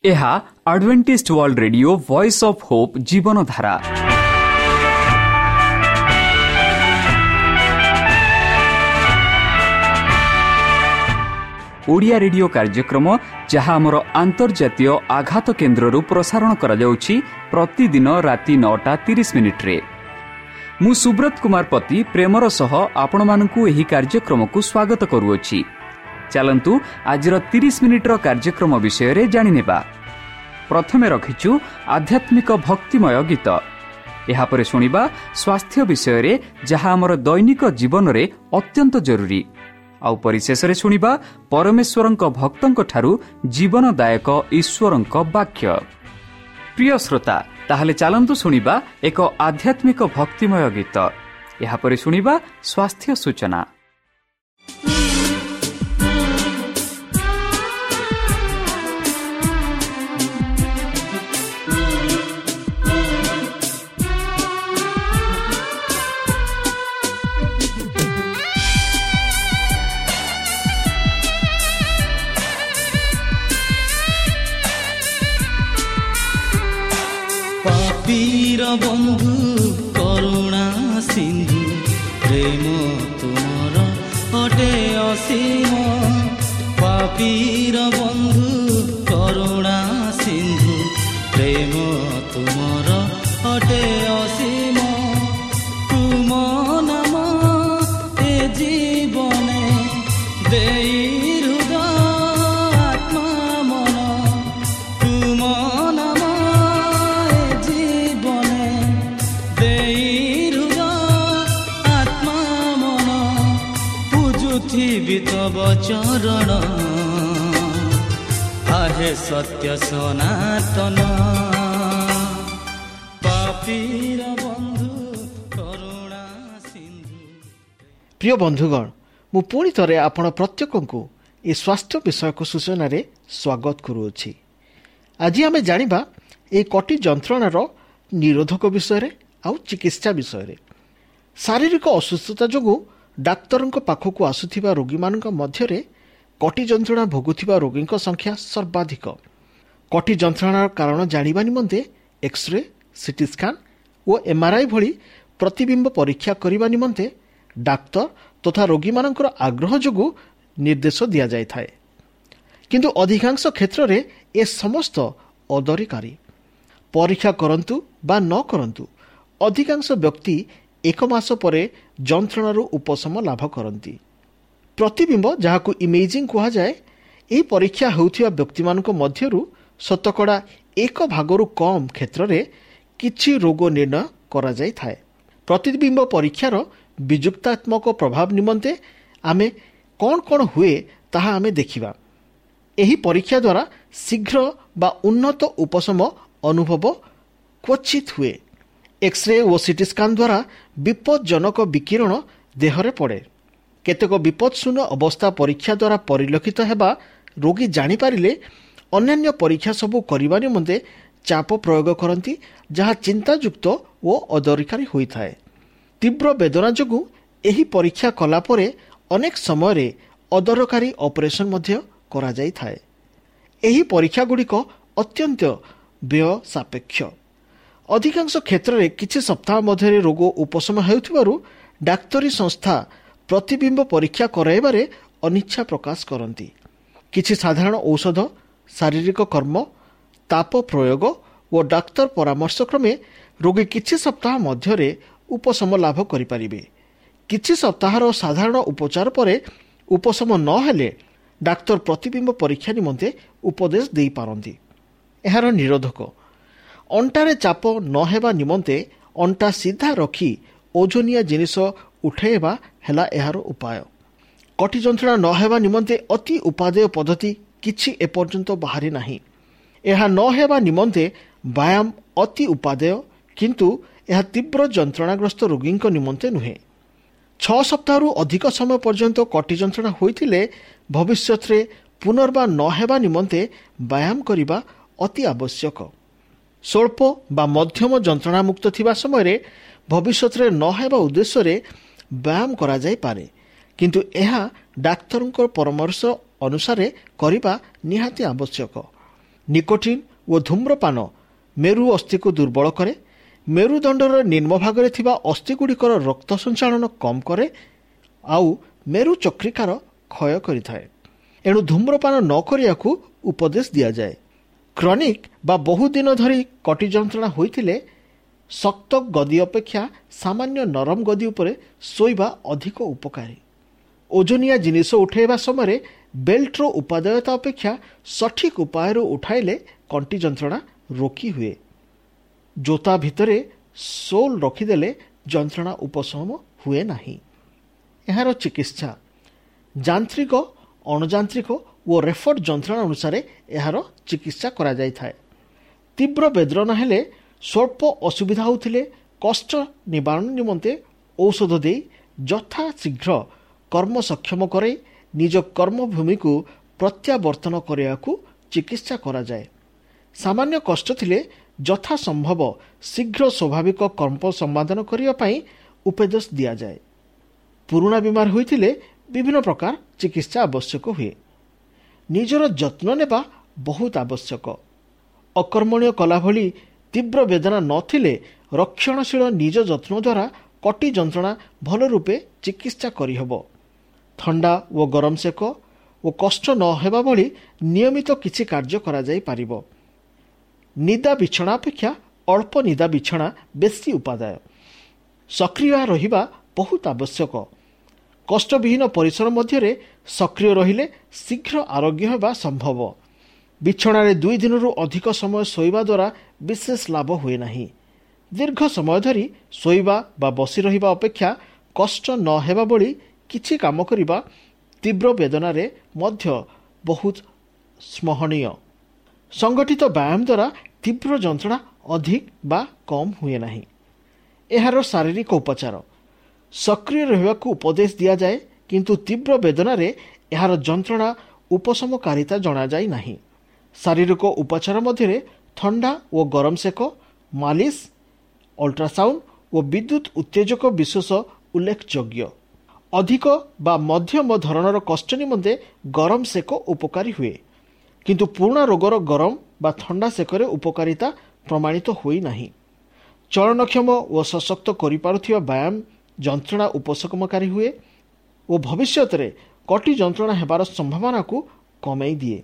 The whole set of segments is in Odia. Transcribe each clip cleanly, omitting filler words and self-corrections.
ଏହା Adventist World Radio, Voice of Hope, Jeevandhara. Odia radio କାର୍ଯ୍ୟକ୍ରମ, ଯାହା ଆମର ଆନ୍ତର୍ଜାତୀୟ ଆଘାତ କେନ୍ଦ୍ରରୁ ପ୍ରସାରଣ କରାଯାଉଛି ପ୍ରତିଦିନ ରାତି 9ଟା 30 ମିନିଟ୍ରେ। ମୁଁ ସୁବ୍ରତ କୁମାର ପତି ପ୍ରେମର ସହ ଆପଣମାନଙ୍କୁ ଏହି କାର୍ଯ୍ୟକ୍ରମକୁ ସ୍ୱାଗତ କରୁଅଛି। ଚାଲନ୍ତୁ, ଆଜିର 30 ମିନିଟ୍ର କାର୍ଯ୍ୟକ୍ରମ ବିଷୟରେ ଜାଣିନେବା। ପ୍ରଥମେ ରଖିଛୁ ଆଧ୍ୟାତ୍ମିକ ଭକ୍ତିମୟ ଗୀତ। ଏହାପରେ ଶୁଣିବା ସ୍ୱାସ୍ଥ୍ୟ ବିଷୟରେ, ଯାହା ଆମର ଦୈନିକ ଜୀବନରେ ଅତ୍ୟନ୍ତ ଜରୁରୀ। ଆଉ ପରିଶେଷରେ ଶୁଣିବା ପରମେଶ୍ୱରଙ୍କ ଭକ୍ତଙ୍କଠାରୁ ଜୀବନଦାୟକ ଈଶ୍ୱରଙ୍କ ବାକ୍ୟ। ପ୍ରିୟ ଶ୍ରୋତା, ତାହେଲେ ଚାଲନ୍ତୁ ଶୁଣିବା ଏକ ଆଧ୍ୟାତ୍ମିକ ଭକ୍ତିମୟ ଗୀତ। ଏହାପରେ ଶୁଣିବା ସ୍ୱାସ୍ଥ୍ୟ ସୂଚନା। ପାପୀର ବନ୍ଧୁ, କରୁଣା ସିନ୍ଧୁ, ପ୍ରେମ ତୁମର ଅଟେ ଅସୀମ। ପାପୀର ବନ୍ଧୁ, କରୁଣା ସିନ୍ଧୁ, ପ୍ରେମ ତୁମର ଅଟେ ଅସୀମ। ତୁମ ନାମ ଏ ଜୀବନେ ଦେଇ ହୃଦୟ, ଆତ୍ମା, ମନ। ତୁମ ନାମ ଏ ଜୀବନେ ଦେଇ ହୃଦୟ, ଆତ୍ମା, ମନ, ପୂଜୁଥିବି ତବ ଚରଣ, ଆହେ ସତ୍ୟ ସନାତନ। ପାପୀର ବନ୍ଧୁ, କରୁଣା ସିନ୍ଧୁ। ପ୍ରିୟ ବନ୍ଧୁଗଣ, ମୁଁ ପୁଣି ଥରେ ଆପଣ ପ୍ରତ୍ୟେକଙ୍କୁ ଏ ସ୍ୱାସ୍ଥ୍ୟ ବିଷୟକ ସୂଚନାରେ ସ୍ୱାଗତ କରୁଅଛି। ଆଜି ଆମେ ଜାଣିବା ଏହି କଟି ଯନ୍ତ୍ରଣାର ନିରୋଧକ ବିଷୟରେ ଆଉ ଚିକିତ୍ସା ବିଷୟରେ। ଶାରୀରିକ ଅସୁସ୍ଥତା ଯୋଗୁଁ ଡାକ୍ତରଙ୍କ ପାଖକୁ ଆସୁଥିବା ରୋଗୀମାନଙ୍କ ମଧ୍ୟରେ କଟି ଯନ୍ତ୍ରଣା ଭୋଗୁଥିବା ରୋଗୀଙ୍କ ସଂଖ୍ୟା ସର୍ବାଧିକ। କଟି ଯନ୍ତ୍ରଣାର କାରଣ ଜାଣିବା ନିମନ୍ତେ ଏକ୍ସରେ, ସିଟି ସ୍କାନ୍ ଓ ଏମ୍ଆର୍ଆଇ ଭଳି ପ୍ରତିବିମ୍ବ ପରୀକ୍ଷା କରିବା ନିମନ୍ତେ ଡାକ୍ତର ତଥା ରୋଗୀମାନଙ୍କର ଆଗ୍ରହ ଯୋଗୁଁ ନିର୍ଦ୍ଦେଶ ଦିଆଯାଇଥାଏ। କିନ୍ତୁ ଅଧିକାଂଶ କ୍ଷେତ୍ରରେ ଏ ସମସ୍ତ ଅଦରକାରୀ। ପରୀକ୍ଷା କରନ୍ତୁ ବା ନ କରନ୍ତୁ, ଅଧିକାଂଶ ବ୍ୟକ୍ତି ଏକ ମାସ ପରେ ଯନ୍ତ୍ରଣାରୁ ଉପଶମ ଲାଭ କରନ୍ତି। ପ୍ରତିବିମ୍ବ, ଯାହାକୁ ଇମେଜିଂ କୁହାଯାଏ, ଏହି ପରୀକ୍ଷା ହେଉଥିବା ବ୍ୟକ୍ତିମାନଙ୍କ ମଧ୍ୟରୁ ଶତକଡ଼ା ଏକ ଭାଗରୁ କମ୍ କ୍ଷେତ୍ରରେ କିଛି ରୋଗ ନିର୍ଣ୍ଣୟ କରାଯାଇଥାଏ। ପ୍ରତିବିମ୍ବ ପରୀକ୍ଷାର ବିଯୁକ୍ତାତ୍ମକ ପ୍ରଭାବ ନିମନ୍ତେ ଆମେ କ'ଣ କ'ଣ ହୁଏ, ତାହା ଆମେ ଦେଖିବା। ଏହି ପରୀକ୍ଷା ଦ୍ୱାରା ଶୀଘ୍ର ବା ଉନ୍ନତ ଉପଶମ ଅନୁଭବ କ୍ୱଚିତ ହୁଏ। ଏକ୍ସରେ ଓ ସିଟି ସ୍କାନ୍ ଦ୍ୱାରା ବିପଜ୍ଜନକ ବିକିରଣ ଦେହରେ ପଡ଼େ। କେତେକ ବିପଦଶୂନ୍ୟ ଅବସ୍ଥା ପରୀକ୍ଷା ଦ୍ୱାରା ପରିଲକ୍ଷିତ ହେବା ରୋଗୀ ଜାଣିପାରିଲେ ଅନ୍ୟାନ୍ୟ ପରୀକ୍ଷା ସବୁ କରିବା ନିମନ୍ତେ ଚାପ ପ୍ରୟୋଗ କରନ୍ତି, ଯାହା ଚିନ୍ତାଯୁକ୍ତ ଓ ଅଦରକାରୀ ହୋଇଥାଏ। ତୀବ୍ର ବେଦନା ଯୋଗୁଁ ଏହି ପରୀକ୍ଷା କଲା ପରେ ଅନେକ ସମୟରେ ଅଦରକାରୀ ଅପରେସନ୍ ମଧ୍ୟ କରାଯାଇଥାଏ। ଏହି ପରୀକ୍ଷାଗୁଡ଼ିକ ଅତ୍ୟନ୍ତ ବ୍ୟୟ ସାପେକ୍ଷ। ଅଧିକାଂଶ କ୍ଷେତ୍ରରେ କିଛି ସପ୍ତାହ ମଧ୍ୟରେ ରୋଗ ଉପଶମ ହେଉଥିବାରୁ ଡାକ୍ତରୀ ସଂସ୍ଥା ପ୍ରତିବିମ୍ବ ପରୀକ୍ଷା କରାଇବାରେ ଅନିଚ୍ଛା ପ୍ରକାଶ କରନ୍ତି। କିଛି ସାଧାରଣ ଔଷଧ, ଶାରୀରିକ କର୍ମ, ତାପ ପ୍ରୟୋଗ ଓ ଡାକ୍ତର ପରାମର୍ଶ କ୍ରମେ ରୋଗୀ କିଛି ସପ୍ତାହ ମଧ୍ୟରେ ଉପଶମ ଲାଭ କରିପାରିବେ। କିଛି ସପ୍ତାହର ସାଧାରଣ ଉପଚାର ପରେ ଉପଶମ ନ ହେଲେ ଡାକ୍ତର ପ୍ରତିବିମ୍ବ ପରୀକ୍ଷା ନିମନ୍ତେ ଉପଦେଶ ଦେଇପାରନ୍ତି। ଏହାର ନିରୋଧକ: ଅଣ୍ଟାରେ ଚାପ ନ ହେବା ନିମନ୍ତେ ଅଣ୍ଟା ସିଧା ରଖି ଓଜନିଆ ଜିନିଷ ଉଠାଇବା ହେଲା ଏହାର ଉପାୟ। କଟି ଯନ୍ତ୍ରଣା ନ ହେବା ନିମନ୍ତେ ଅତି ଉପାଦେୟ ପଦ୍ଧତି କିଛି ଏପର୍ଯ୍ୟନ୍ତ ବାହାରି ନାହିଁ। ଏହା ନ ହେବା ନିମନ୍ତେ ବ୍ୟାୟାମ ଅତି ଉପାଦେୟ, କିନ୍ତୁ ଏହା ତୀବ୍ର ଯନ୍ତ୍ରଣାଗ୍ରସ୍ତ ରୋଗୀଙ୍କ ନିମନ୍ତେ ନୁହେଁ। 6 ସପ୍ତାହରୁ ଅଧିକ ସମୟ ପର୍ଯ୍ୟନ୍ତ କଟି ଯନ୍ତ୍ରଣା ହୋଇଥିଲେ ଭବିଷ୍ୟତରେ ପୁନର୍ବାର ନ ହେବା ନିମନ୍ତେ ବ୍ୟାୟାମ କରିବା ଅତି ଆବଶ୍ୟକ। ସ୍ୱଳ୍ପ ବା ମଧ୍ୟମ ଯନ୍ତ୍ରଣାମୁକ୍ତ ଥିବା ସମୟରେ ଭବିଷ୍ୟତରେ ନ ହେବା ଉଦ୍ଦେଶ୍ୟରେ ବ୍ୟାୟାମ କରାଯାଇପାରେ, କିନ୍ତୁ ଏହା ଡାକ୍ତରଙ୍କ ପରାମର୍ଶ ଅନୁସାରେ କରିବା ନିହାତି ଆବଶ୍ୟକ। ନିକୋଟିନ୍ ଓ ଧୂମ୍ରପାନ ମେରୁ ଅସ୍ଥିକୁ ଦୁର୍ବଳ କରେ। ମେରୁଦଣ୍ଡର ନିମ୍ନ ଭାଗରେ ଥିବା ଅସ୍ଥିଗୁଡ଼ିକର ରକ୍ତ ସଞ୍ଚାଳନ କମ୍ କରେ ଆଉ ମେରୁ ଚକ୍ରିକାର କ୍ଷୟ କରିଥାଏ। ଏଣୁ ଧୂମ୍ରପାନ ନ କରିବାକୁ ଉପଦେଶ ଦିଆଯାଏ। କ୍ରନିକ୍ ବା ବହୁଦିନ ଧରି କଟି ଯନ୍ତ୍ରଣା ହୋଇଥିଲେ ଶକ୍ତ ଗଦି ଅପେକ୍ଷା ସାମାନ୍ୟ ନରମ ଗଦି ଉପରେ ଶୋଇବା ଅଧିକ ଉପକାରୀ। ଓଜନିଆ ଜିନିଷ ଉଠାଇବା ସମୟରେ ବେଲ୍ଟର ଉପାଦେୟତା ଅପେକ୍ଷା ସଠିକ୍ ଉପାୟରେ ଉଠାଇଲେ କଣ୍ଟି ଯନ୍ତ୍ରଣା ରୋକି ହୁଏ। ଜୋତା ଭିତରେ ସୋଲ୍ ରଖିଦେଲେ ଯନ୍ତ୍ରଣା ଉପଶମ ହୁଏ ନାହିଁ। ଏହାର ଚିକିତ୍ସା ଯାନ୍ତ୍ରିକ, ଅଣଯାନ୍ତ୍ରିକ ଓ ରେଫର୍ଡ ଯନ୍ତ୍ରଣା ଅନୁସାରେ ଏହାର ଚିକିତ୍ସା କରାଯାଇଥାଏ। ତୀବ୍ର ବେଦନା ହେଲେ, ସ୍ୱଳ୍ପ ଅସୁବିଧା ହେଉଥିଲେ କଷ୍ଟ ନିବାରଣ ନିମନ୍ତେ ଔଷଧ ଦେଇ ଯଥାଶୀଘ୍ର କର୍ମ ସକ୍ଷମ କରାଇ ନିଜ କର୍ମଭୂମିକୁ ପ୍ରତ୍ୟାବର୍ତ୍ତନ କରିବାକୁ ଚିକିତ୍ସା କରାଯାଏ। ସାମାନ୍ୟ କଷ୍ଟ ଥିଲେ ଯଥାସମ୍ଭବ ଶୀଘ୍ର ସ୍ୱାଭାବିକ କର୍ମ ସମ୍ପାଦନ କରିବା ପାଇଁ ଉପଦେଶ ଦିଆଯାଏ। ପୁରୁଣା ବିମାର ହୋଇଥିଲେ ବିଭିନ୍ନ ପ୍ରକାର ଚିକିତ୍ସା ଆବଶ୍ୟକ ହୁଏ। ନିଜର ଯତ୍ନ ନେବା ବହୁତ ଆବଶ୍ୟକ। ଅକର୍ମଣୀୟ କଲା ଭଳି ତୀବ୍ର ବେଦନା ନଥିଲେ ରକ୍ଷଣଶୀଳ ନିଜ ଯତ୍ନ ଦ୍ୱାରା କଟି ଯନ୍ତ୍ରଣା ଭଲ ରୂପେ ଚିକିତ୍ସା କରିହେବ। ଥଣ୍ଡା ଓ ଗରମ ସେକ ଓ କଷ୍ଟ ନ ହେବା ଭଳି ନିୟମିତ କିଛି କାର୍ଯ୍ୟ କରାଯାଇପାରିବ। ନିଦା ବିଛଣା ଅପେକ୍ଷା ଅଳ୍ପ ନିଦା ବିଛଣା ବେଶୀ ଉପାଦେୟ। ସକ୍ରିୟ ରହିବା ବହୁତ ଆବଶ୍ୟକ। କଷ୍ଟବିହୀନ ପରିସର ମଧ୍ୟରେ ସକ୍ରିୟ ରହିଲେ ଶୀଘ୍ର ଆରୋଗ୍ୟ ହେବା ସମ୍ଭବ। ବିଛଣାରେ 2 ଦିନରୁ ଅଧିକ ସମୟ ଶୋଇବା ଦ୍ୱାରା ବିଶେଷ ଲାଭ ହୁଏ ନାହିଁ। ଦୀର୍ଘ ସମୟ ଧରି ଶୋଇବା ବା ବସି ରହିବା ଅପେକ୍ଷା କଷ୍ଟ ନ ହେବା ଭଳି କିଛି କାମ କରିବା ତୀବ୍ର ବେଦନାରେ ମଧ୍ୟ ବହୁତ ସ୍ମରଣୀୟ। ସଂଗଠିତ ବ୍ୟାୟାମ ଦ୍ୱାରା ତୀବ୍ର ଯନ୍ତ୍ରଣା ଅଧିକ ବା କମ୍ ହୁଏ ନାହିଁ। ଏହାର ଶାରୀରିକ ଉପଚାର ସକ୍ରିୟ ରହିବାକୁ ଉପଦେଶ ଦିଆଯାଏ, କିନ୍ତୁ ତୀବ୍ର ବେଦନାରେ ଏହାର ଯନ୍ତ୍ରଣା ଉପଶମକାରିତା ଜଣାଯାଇ ନାହିଁ। ଶାରୀରିକ ଉପଚାର ମଧ୍ୟରେ ଥଣ୍ଡା ଓ ଗରମ ସେକ, ମାଲିସ, ଅଲ୍ଟ୍ରାସାଉଣ୍ଡ ଓ ବିଦ୍ୟୁତ ଉତ୍ତେଜକ ବିଶେଷ ଉଲ୍ଲେଖଯୋଗ୍ୟ। ଅଧିକ ବା ମଧ୍ୟମ ଧରଣର କଷ୍ଟ ନିମନ୍ତେ ଗରମ ସେକ ଉପକାରୀ ହୁଏ, କିନ୍ତୁ ପୁରୁଣା ରୋଗର ଗରମ ବା ଥଣ୍ଡା ସେକରେ ଉପକାରିତା ପ୍ରମାଣିତ ହୋଇନାହିଁ। ଚଳନକ୍ଷମ ଓ ସଶକ୍ତ କରିପାରୁଥିବା ବ୍ୟାୟାମ ଯନ୍ତ୍ରଣା ଉପଶମକାରୀ ହୁଏ ଓ ଭବିଷ୍ୟତରେ କଟି ଯନ୍ତ୍ରଣା ହେବାର ସମ୍ଭାବନାକୁ କମାଇ ଦିଏ।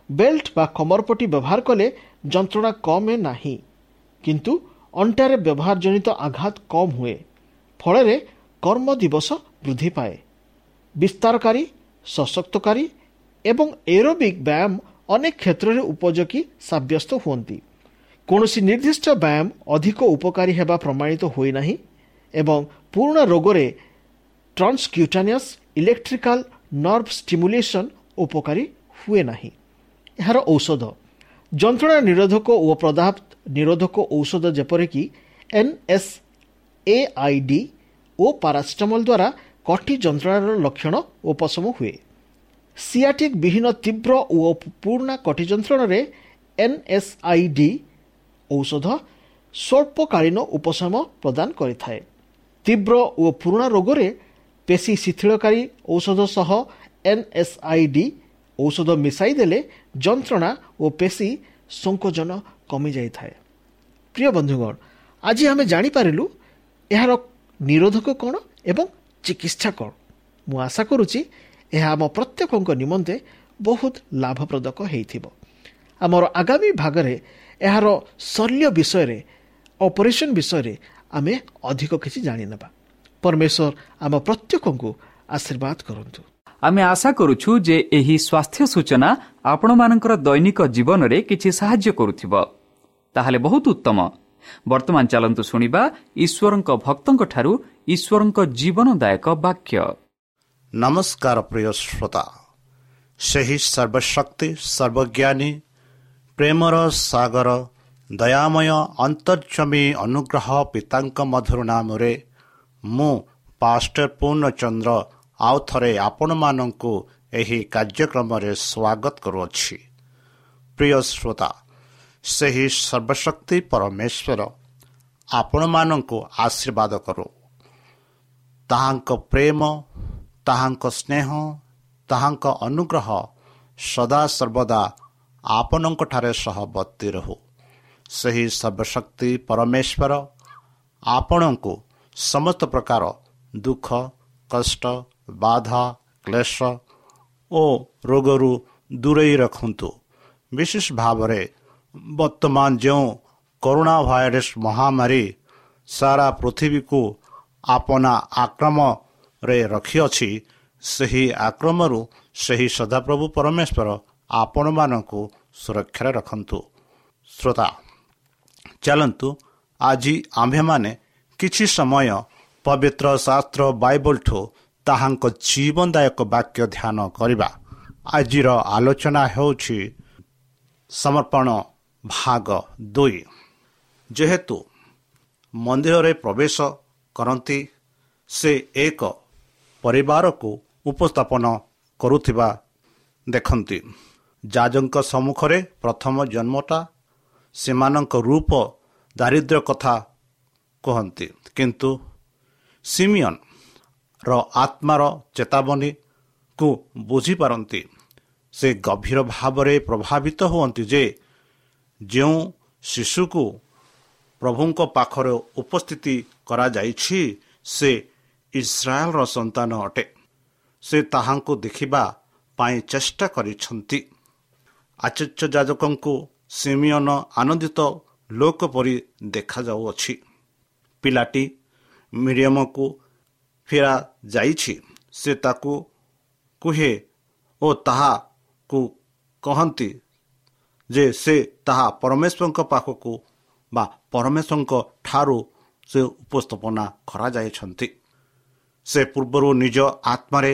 ବେଲ୍ଟ ବା କମରପଟି ବ୍ୟବହାର କଲେ ଯନ୍ତ୍ରଣା କମେ ନାହିଁ, କିନ୍ତୁ ଅଣ୍ଟାରେ ବ୍ୟବହାର ଜନିତ ଆଘାତ କମ୍ ହୁଏ, ଫଳରେ କର୍ମ ଦିବସ ବୃଦ୍ଧି ପାଏ। ବିସ୍ତାରକାରୀ, ସଶକ୍ତକାରୀ ଏବଂ ଏରୋବିକ୍ ବ୍ୟାୟାମ ଅନେକ କ୍ଷେତ୍ରରେ ଉପଯୋଗୀ ସାବ୍ୟସ୍ତ ହୁଅନ୍ତି। କୌଣସି ନିର୍ଦ୍ଦିଷ୍ଟ ବ୍ୟାୟାମ ଅଧିକ ଉପକାରୀ ହେବା ପ୍ରମାଣିତ ହୋଇନାହିଁ ଏବଂ ପୁରୁଣା ରୋଗରେ ଟ୍ରାନ୍ସକ୍ୟୁଟାନିୟସ୍ ଇଲେକ୍ଟ୍ରିକାଲ ନର୍ଭ ଷ୍ଟିମୁଲେସନ୍ ଉପକାରୀ ହୁଏ ନାହିଁ। ଏହାର ଔଷଧ ଯନ୍ତ୍ରଣା ନିରୋଧକ ଓ ପ୍ରଦାହ ନିରୋଧକ ଔଷଧ ଯେପରିକି NSAID ଓ ପାରାସିଟାମଲ୍ ଦ୍ୱାରା କଟି ଯନ୍ତ୍ରଣାର ଲକ୍ଷଣ ଉପଶମ ହୁଏ। ସିଆଟିକ୍ ବିହୀନ ତୀବ୍ର ଓ ପୁରୁଣା କଟି ଯନ୍ତ୍ରଣାରେ NSAID ଔଷଧ ସ୍ୱଳ୍ପକାଳୀନ ଉପଶମ ପ୍ରଦାନ କରିଥାଏ। ତୀବ୍ର ଓ ପୁରୁଣା ରୋଗରେ ପେଶୀ ଶିଥିଳକାରୀ ଔଷଧ ସହ NSAID ଔଷଧ ମିଶାଇ ଦେଲେ ଯନ୍ତ୍ରଣା ଓ ପେଶୀ ସଂକୋଚନ କମିଯାଇଥାଏ। ପ୍ରିୟ ବନ୍ଧୁଗଣ, ଆଜି ଆମେ ଜାଣିପାରିଲୁ ଏହାର ନିରୋଧକ କ'ଣ ଏବଂ ଚିକିତ୍ସା କ'ଣ। ମୁଁ ଆଶା କରୁଛି ଏହା ଆମ ପ୍ରତ୍ୟେକଙ୍କ ନିମନ୍ତେ ବହୁତ ଲାଭପ୍ରଦକ ହେଇଥିବ। ଆମର ଆଗାମୀ ଭାଗରେ ଏହାର ଶଲ୍ୟ ବିଷୟରେ, ଅପରେସନ୍ ବିଷୟରେ ଆମେ ଅଧିକ କିଛି ଜାଣିନେବା। ପରମେଶ୍ୱର ଆମ ପ୍ରତ୍ୟେକଙ୍କୁ ଆଶୀର୍ବାଦ କରନ୍ତୁ। ଆମେ ଆଶା କରୁଛୁ ଯେ ଏହି ସ୍ୱାସ୍ଥ୍ୟ ସୂଚନା ଆପଣମାନଙ୍କର ଦୈନିକ ଜୀବନରେ କିଛି ସାହାଯ୍ୟ କରୁଥିବ। ତାହେଲେ ବହୁତ ଉତ୍ତମ। ବର୍ତ୍ତମାନ ଚାଲନ୍ତୁ ଶୁଣିବା ଈଶ୍ୱରଙ୍କ ଭକ୍ତଙ୍କଠାରୁ ଈଶ୍ୱରଙ୍କ ଜୀବନଦାୟକ ବାକ୍ୟ। ନମସ୍କାର ପ୍ରିୟ ଶ୍ରୋତା, ସେହି ସର୍ବଶକ୍ତି ସର୍ବଜ୍ଞାନୀ ପ୍ରେମର ସାଗର ଦୟାମୟ ଅନ୍ତର୍ଜମୀ ଅନୁଗ୍ରହ ପିତାଙ୍କ ମଧୁର ନାମରେ ମୁଁ ପାଷ୍ଟର ପୂର୍ଣ୍ଣଚନ୍ଦ୍ର ଆଉ ଥରେ ଆପଣମାନଙ୍କୁ ଏହି କାର୍ଯ୍ୟକ୍ରମରେ ସ୍ୱାଗତ କରୁଅଛି। ପ୍ରିୟ ଶ୍ରୋତା, ସେହି ସର୍ବଶକ୍ତି ପରମେଶ୍ୱର ଆପଣମାନଙ୍କୁ ଆଶୀର୍ବାଦ କରୁ। ତାହାଙ୍କ ପ୍ରେମ, ତାହାଙ୍କ ସ୍ନେହ, ତାହାଙ୍କ ଅନୁଗ୍ରହ ସଦାସର୍ବଦା ଆପଣଙ୍କଠାରେ ସହବର୍ତ୍ତୀ ରହୁ। ସେହି ସର୍ବଶକ୍ତି ପରମେଶ୍ୱର ଆପଣଙ୍କୁ ସମସ୍ତ ପ୍ରକାର ଦୁଃଖ, କଷ୍ଟ, ବାଧା, କ୍ଲେଶ ଓ ରୋଗରୁ ଦୂରେଇ ରଖନ୍ତୁ। ବିଶେଷ ଭାବରେ ବର୍ତ୍ତମାନ ଯେଉଁ କରୋନା ଭାଇରସ୍ ମହାମାରୀ ସାରା ପୃଥିବୀକୁ ଆପଣା ଆକ୍ରମରେ ରଖିଅଛି, ସେହି ଆକ୍ରମରୁ ସେହି ସଦାପ୍ରଭୁ ପରମେଶ୍ୱର ଆପଣମାନଙ୍କୁ ସୁରକ୍ଷାରେ ରଖନ୍ତୁ। ଶ୍ରୋତା, ଚାଲନ୍ତୁ ଆଜି ଆମ୍ଭେମାନେ କିଛି ସମୟ ପବିତ୍ର ଶାସ୍ତ୍ର ବାଇବଲଠୁ ତାହାଙ୍କ ଜୀବନଦାୟକ ବାକ୍ୟ ଧ୍ୟାନ କରିବା। ଆଜିର ଆଲୋଚନା ହେଉଛି ସମର୍ପଣ ଭାଗ 2। ଯେହେତୁ ମନ୍ଦିରରେ ପ୍ରବେଶ କରନ୍ତି, ସେ ଏକ ପରିବାରକୁ ଉପସ୍ଥାପନ କରୁଥିବା ଦେଖନ୍ତି। ଯାଜଙ୍କ ସମ୍ମୁଖରେ ପ୍ରଥମ ଜନ୍ମଟା ସେମାନଙ୍କ ରୂପ ଦାରିଦ୍ର୍ୟ କଥା କୁହନ୍ତି, କିନ୍ତୁ ସିମିଅନ ର ଆତ୍ମାର ଚେତାବନୀକୁ ବୁଝିପାରନ୍ତି। ସେ ଗଭୀର ଭାବରେ ପ୍ରଭାବିତ ହୁଅନ୍ତି ଯେ ଯେଉଁ ଶିଶୁକୁ ପ୍ରଭୁଙ୍କ ପାଖରେ ଉପସ୍ଥିତି କରାଯାଇଛି, ସେ ଇସ୍ରାଏଲର ସନ୍ତାନ ଅଟେ। ସେ ତାହାଙ୍କୁ ଦେଖିବା ପାଇଁ ଚେଷ୍ଟା କରିଛନ୍ତି। ଆଚାର୍ଯ୍ୟ ଯାଜକଙ୍କୁ ସିମିଅନ ଆନନ୍ଦିତ ଲୋକ ପରି ଦେଖାଯାଉଅଛି। ପିଲାଟି ମିରିୟମକୁ ଫେରା ଯାଇଛି। ସେ ତାକୁ କୁହେ ଓ ତାହାକୁ କହନ୍ତି ଯେ ସେ ତାହା ପରମେଶ୍ୱରଙ୍କ ପାଖକୁ ବା ପରମେଶ୍ୱରଙ୍କ ଠାରୁ ସେ ଉପସ୍ଥାପନା କରାଯାଇଛନ୍ତି। ସେ ପୂର୍ବରୁ ନିଜ ଆତ୍ମାରେ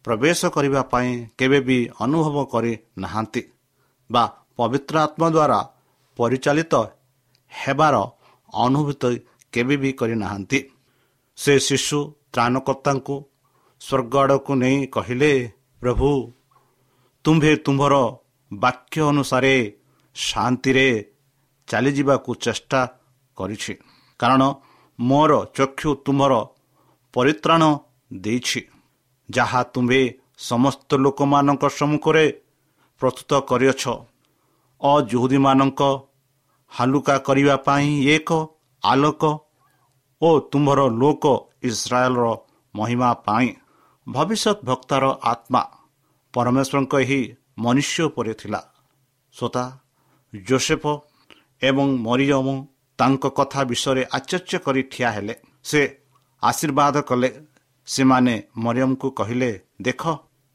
ପ୍ରବେଶ କରିବା ପାଇଁ କେବେ ବି ଅନୁଭବ କରି ନାହାନ୍ତି ବା ପବିତ୍ର ଆତ୍ମା ଦ୍ୱାରା ପରିଚାଳିତ ହେବାର ଅନୁଭୂତି କେବେ ବି କରିନାହାନ୍ତି। ସେ ଶିଶୁ ତ୍ରାଣକର୍ତ୍ତାଙ୍କୁ ସ୍ୱର୍ଗ ଆଡ଼କୁ ନେଇ କହିଲେ, ପ୍ରଭୁ, ତୁମ୍ଭେ ତୁମ୍ଭର ବାକ୍ୟ ଅନୁସାରେ ଶାନ୍ତିରେ ଚାଲିଯିବାକୁ ଚେଷ୍ଟା କରିଛି, କାରଣ ମୋର ଚକ୍ଷୁ ତୁମ୍ଭର ପରିତ୍ରାଣ ଦେଇଛି, ଯାହା ତୁମ୍ଭେ ସମସ୍ତ ଲୋକମାନଙ୍କ ସମ୍ମୁଖରେ ପ୍ରସ୍ତୁତ କରିଅଛ, ଅଯୁହୁଦୀମାନଙ୍କ ହାଲୁକା କରିବା ପାଇଁ ଏକ ଆଲୋକ ଓ ତୁମ୍ଭର ଲୋକ ଇସ୍ରାଏଲର ମହିମା ପାଇଁ। ଭବିଷ୍ୟତ ଭକ୍ତାର ଆତ୍ମା ପରମେଶ୍ୱରଙ୍କ ଏହି ମନୁଷ୍ୟ ଉପରେ ଥିଲା। ଶ୍ରୋତା, ଜୋସେଫ ଏବଂ ମରିୟମ ତାଙ୍କ କଥା ବିଷୟରେ ଆଶ୍ଚର୍ଯ୍ୟ କରି ଠିଆ ହେଲେ। ସେ ଆଶୀର୍ବାଦ କଲେ। ସେମାନେ ମରିୟମକୁ କହିଲେ, ଦେଖ,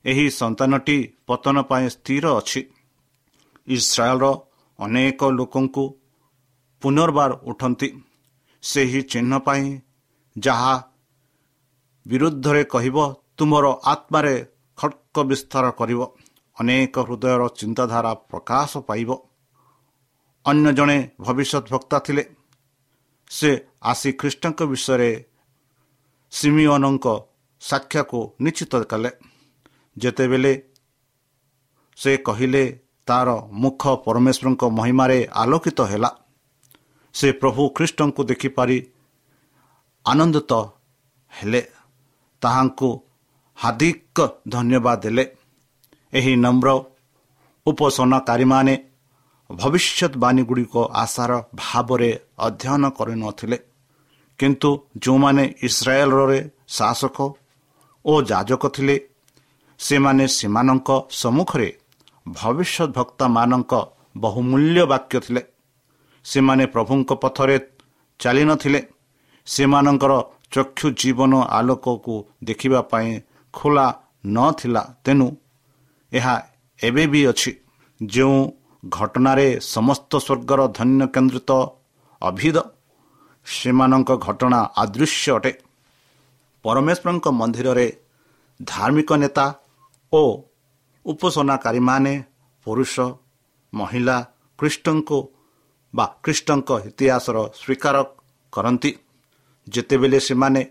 ଏହି ସନ୍ତାନଟି ପତନ ପାଇଁ ସ୍ଥିର ଅଛି, ଇସ୍ରାଏଲର ଅନେକ ଲୋକଙ୍କୁ ପୁନର୍ବାର ଉଠନ୍ତି ସେହି ଚିହ୍ନ ପାଇଁ ଯାହା ବିରୁଦ୍ଧରେ କହିବ, ତୁମର ଆତ୍ମାରେ ଖଡ଼୍ଗ ବିସ୍ତାର କରିବ, ଅନେକ ହୃଦୟର ଚିନ୍ତାଧାରା ପ୍ରକାଶ ପାଇବ। ଅନ୍ୟ ଜଣେ ଭବିଷ୍ୟତ ବକ୍ତା ଥିଲେ। ସେ ଆସି ଖ୍ରୀଷ୍ଟଙ୍କ ବିଷୟରେ ସିମିଓନଙ୍କ ସାକ୍ଷ୍ୟକୁ ନିଶ୍ଚିତ କଲେ। ଯେତେବେଳେ ସେ କହିଲେ, ତାର ମୁଖ ପରମେଶ୍ୱରଙ୍କ ମହିମାରେ ଆଲୋକିତ ହେଲା। ସେ ପ୍ରଭୁ ଖ୍ରୀଷ୍ଟଙ୍କୁ ଦେଖିପାରି ଆନନ୍ଦିତ ହେଲେ, ତାହାଙ୍କୁ ହାର୍ଦ୍ଦିକ ଧନ୍ୟବାଦ ଦେଲେ। ଏହି ନମ୍ର ଉପାସନାକାରୀମାନେ ଭବିଷ୍ୟତବାଣୀ ଗୁଡ଼ିକ ଆଶାର ଭାବରେ ଅଧ୍ୟୟନ କରିନଥିଲେ, କିନ୍ତୁ ଯେଉଁମାନେ ଇସ୍ରାଏଲରେ ଶାସକ ଓ ଯାଜକ ଥିଲେ, ସେମାନେ ସେମାନଙ୍କ ସମ୍ମୁଖରେ ଭବିଷ୍ୟତ ଭକ୍ତମାନଙ୍କ ବହୁମୂଲ୍ୟ ବାକ୍ୟ ଥିଲେ। ସେମାନେ ପ୍ରଭୁଙ୍କ ପଥରେ ଚାଲିନଥିଲେ। ସେମାନଙ୍କର ଚକ୍ଷୁ ଜୀବନ ଆଲୋକକୁ ଦେଖିବା ପାଇଁ ଖୋଲା ନଥିଲା। ତେଣୁ ଏହା ଏବେ ବି ଅଛି, ଯେଉଁ ଘଟଣାରେ ସମସ୍ତ ସ୍ୱର୍ଗର ଧନ୍ୟ କେନ୍ଦ୍ରିତ ଅଭିଦ, ସେମାନଙ୍କ ଘଟଣା ଅଦୃଶ୍ୟ ଅଟେ। ପରମେଶ୍ୱରଙ୍କ ମନ୍ଦିରରେ ଧାର୍ମିକ ନେତା ଓ ଉପାସନାକାରୀମାନେ, ପୁରୁଷ ମହିଳା, ଖ୍ରୀଷ୍ଟଙ୍କୁ ବା ଖ୍ରୀଷ୍ଟଙ୍କ ଇତିହାସର ସ୍ୱୀକାର କରନ୍ତି। ଯେତେବେଳେ ସେମାନେ